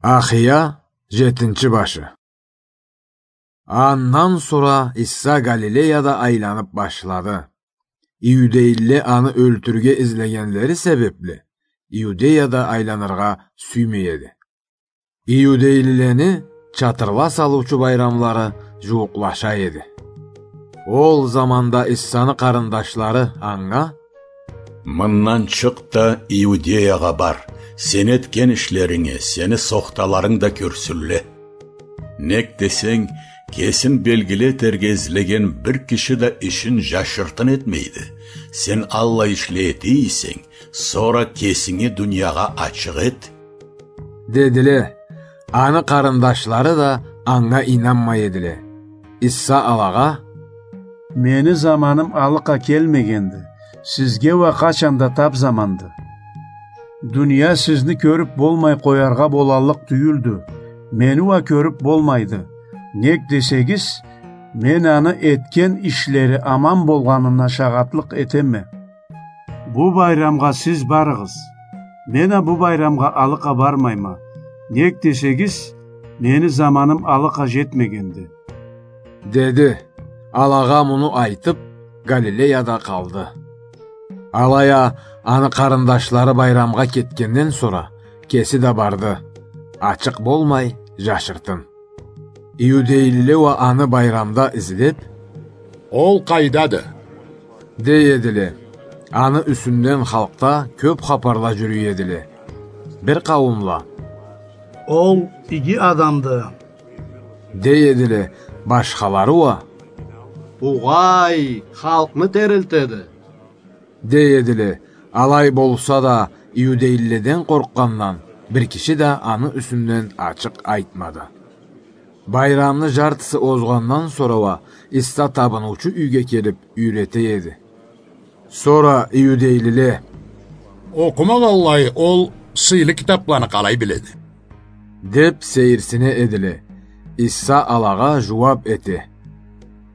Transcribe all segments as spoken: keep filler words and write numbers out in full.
Ахия, жетинчи башы. Андан сора Иса Галилеяда айланып башлады. Иудейлиле аны ёлтюрюрге излегенлери себепли, Иудеяда айланыргъа сюймей эди. Иудейлилени чатырла салыучу байрамлары жууукълаша эди. Ол заманда Исаны къарындашлары анга: «Мындан чыкъ да Иудеягъа бар, сен этген ишлеринге сени сохталарынг да кёрсюнле. Нек десенг, кесин белгили этерге излеген бир киши да ишин жашыртын этмейди. Сен аллай ишле эте эсенг, сора кесинги дуниягъа ачыкъ эт», — дедиле. Аны къарындашлары да анга ийнанмай эдиле. Иса алагъа: «Мени заманым алыкъа келмегенди, сизге уа къачан да тап заманды. Дуния сизни кёрюп болмай къояргъа болаллыкъ тюйюлдю, мени уа кёрюп болмайды. Нек десегиз, мен аны этген ишлери аман болгъанына шагъатлыкъ этеме. Бу байрамгъа сиз барыгъыз. Мен а бу байрамгъа алыкъа бармайма. Нек десегиз, мени заманым алыкъа жетмегенди», — деди. Алагъа муну айтып, Галилеяда къалды. Алай а аны къарындашлары байрамгъа кетгенден сора, кеси да барды, ачыкъ болмай, жашыртын. Иудейлиле уа аны байрамда излеп: «Ол къайдады?» — дей эдиле. Аны юсюнден халкъда кёп хапарла жюрюй эдиле. Бир къауумла: «Ол иги адамды», — дей эдиле, башхалары уа: «Угъай, халкъны терилтеди», — дей эдиле. Алай болса да, иудейлиледен къоркъгъандан, бир киши да аны юсюнден ачыкъ айтмады. Байрамны жартысы озгъандан сора уа Иса табыныучу юйге келип юйрете эди. Сора иудейлиле: «Окъумагъанлай ол сыйлы китапланы къалай биледи?» — деп сейирсине эдиле. Иса алагъа жууап эте: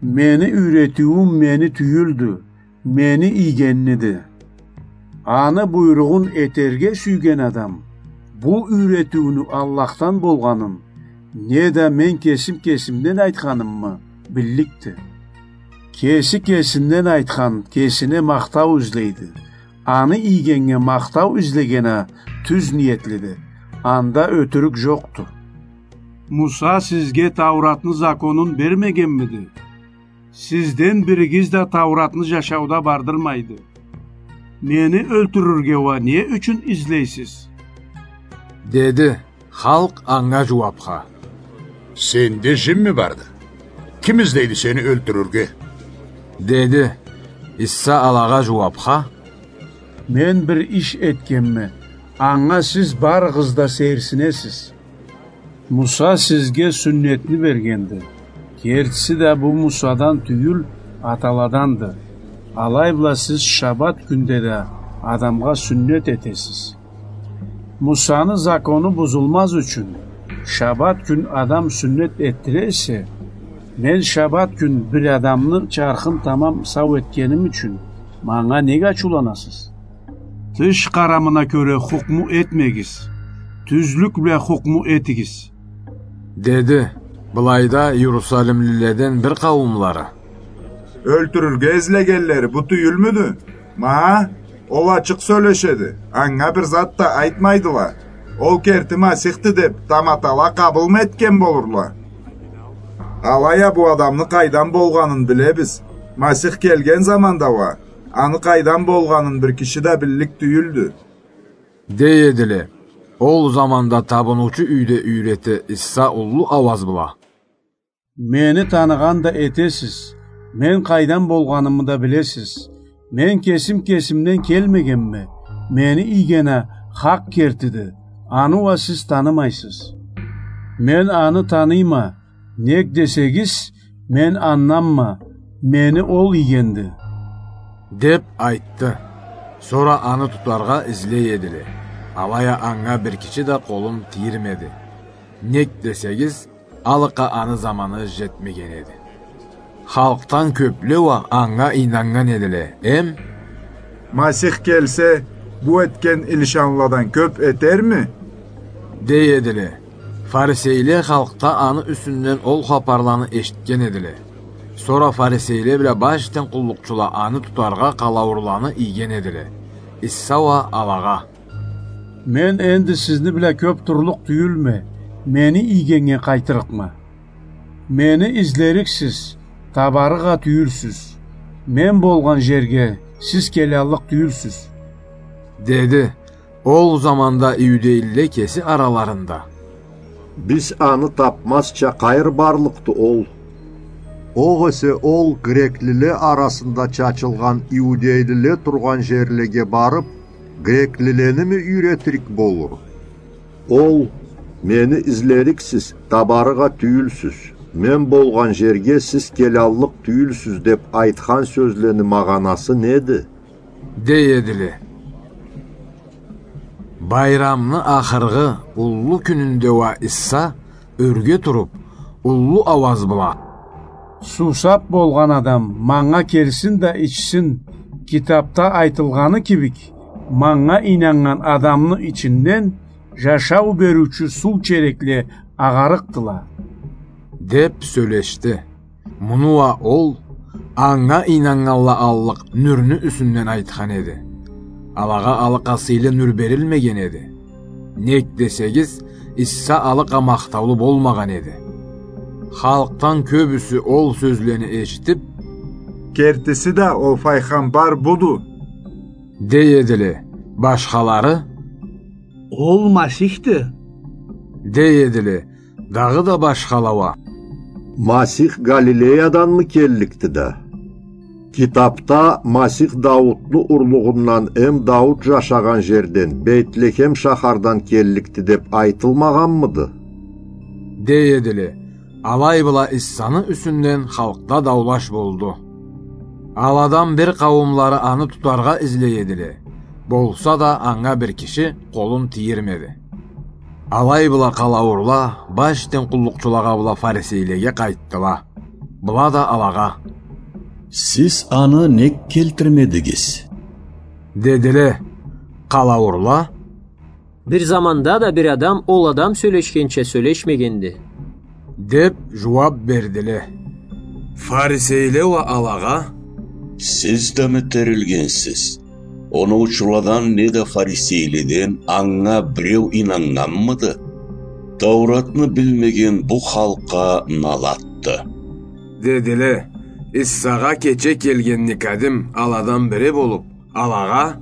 «Мени юйретиуюм мени тюйюлдю, мени ийгенниди. Аны буйругъун этерге сюйген адам бу юйретиуню Аллахдан болгъанын, неда мен кесим кесимден айтханымы, билликди. Кеси кесинден айтхан кесине махтау излейди. Аны ийгеннге махтау излеген а тюз ниетлиди. Анда ётюрюк жокъду. Муса сизге Тауратны законун бермегенмиди? Сизден биригиз да Тауратны жашауда бардырмайды. Мени ёлтюрюрге уа не ючюн излейсиз?» — деди. Халкъ анга жууапха: «Сенде жинми барды? Ким излейди сени ёлтюрюрге?» — деди. Иса алагъа жууапха: «Мен бир иш этгенме, анга сиз барыгъыз да сейирсинесиз. Муса сизге сюннетни бергенди. Кертиси да бу Мусадан тюйюл, аталаданды. Алай бла сиз шабат кюнде да адамгъа сюннет этесиз. Мусаны закону бузулмаз ючюн, шабат кюн адам сюннет этдире эсе, мен шабат кюн бир адамны чархын тамам сау этгеним ючюн манга нек ачыуланасыз? Тыш къарамына кёре хукму этмегиз, тюзлюк бла хукму этигиз», — деди. Былайда Иерусалимлиледен бир къауумлары: «Ёлтюрюрге излегенлери бу тюйюлмюдю? Ма, ол ачыкъ сёлешеди, анга бир зат да айтмайдыла. Ол керти Масихди деп таматала къабылмы этген болурла? Алай а бу адамны къайдан болгъанын билебиз. Масих келген заманда уа аны къайдан болгъанын бир киши да биллик тюйюлдю», — дей эдиле. Ол заманда табыныучу юйде юйрете Иса уллу ауаз бла: «Мени таныгъан да этесиз, мен къайдан болгъанымы да билесиз. Мен кесим кесимден келмегенме, мени ийген а хакъ кертиди, аны уа сиз танымайсыз. Мен аны таныйма, нек десегиз, мен анданма, мени ол ийгенди», — деп айтды. Сора аны тутаргъа излей эдиле. Алай а анга бир киши да къолун тийирмеди. Нек десегиз, алыкъа аны заманы жетмеген эди. Халкъдан кёпле уа анга ийнаннган эдиле, эм: «Масих келсе, бу этген илишанладан кёп этерми?» — дей эдиле. Фарисейле халкъда аны юсюнден ол хапарланы эшитген эдиле. Сора фарисейле бла башдан къуллукъчула аны тутаргъа къалауурланы ийген эдиле. Иса уа алагъа: «Мен энди сизни бла кёп турлукъ тюйюлме, мени ийгеннге къайтырыкъма. Мени излериксиз, табарыкъ а тюйюлсюз. Мен болгъан жерге сиз келаллыкъ тюйюлсюз», — деди. Ол заманда иудейлиле кеси араларында: «Биз аны тапмазча къайры барлыкъды ол? Огъесе ол греклиле арасында чачылгъан иудейлиле тургъан жерлеге барып, греклилени ми юйретирик болур? Ол: „Мени излериксиз, табарыкъ а тюйюлсюз, мен болгъан жерге сиз келаллыкъ тюйюлсюз“, — деп айтхан сёзлени магъанасы неди?» — дей эдиле. Байрамны ахыргъы уллу кюнюнде уа Иса ёрге туруп, уллу ауаз бла: «Суусап болгъан адам манга келсин да ичсин. Китапда айтылгъаны кибик, манга ийнаннган адамны ичинден жашау бериучю суу черекле агъарыкъдыла», — деп сёлешди. Муну уа ол анга ийнаннганла аллыкъ нюрню юсюнден айтхан эди. Алагъа алыкъа сыйлы нюр берилмеген эди. Нек десегиз, Иса алыкъа махтаулу болмагъан эди. Халкъдан кёбюсю ол сёзлени эшитип: «Кертиси да ол файгъамбар буду», — дей эдиле. Башхалары: «Ол Масихди», — дей эдиле. Дагъыда башхала уа: «Масих Галилеяданмы келликди да? Китапда Масих Даутну урлугъундан эм Даут жашагъан жерден, Бейтлехем шахардан келликди деп айтылмагъанмыды?» — дей эдиле. Алай бла Исаны юсюнден халкъда даулаш болду. Аладан бир къауумлары аны тутаргъа излей эдиле. Болса да анга бир киши къолун тийирмеди. Алай бла къалауурла башдан къуллукъчулагъа бла фарисейлеге къайтдыла. Была да алагъа: «Сиз аны нек келтирмедигиз?» — дедиле. Къалауурла: «Бир заманда да бир адам ол адам сёлешгенча сёлешмегенди», — деп жууап бердиле. Фарисейле уа алагъа: «Сиз да ми терилгенсиз? Оноучуладан неда фарисейледен анга биреу ийнаннганмыды? Тауратны билмеген бу халкъгъа налатды», — дедиле. Иссагъа кече келген Никодим, аладан бири болуп, алагъа: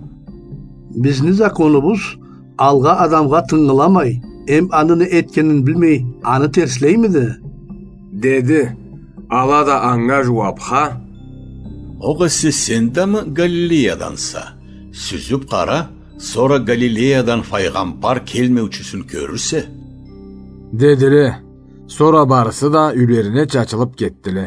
«Бизни законубуз алгъа адамгъа тынгыламай, эм аны не этгенин билмей, аны терслеймиди?» — деди. Ала да анга жууапха: «Огъесе сен да мы Галилеяданса? Сюзюп къара, сора Галилеядан файгъамбар келмеучюсюн кёрюрсе», — дедиле. Сора барысы да юйлерине чачылып кетдиле.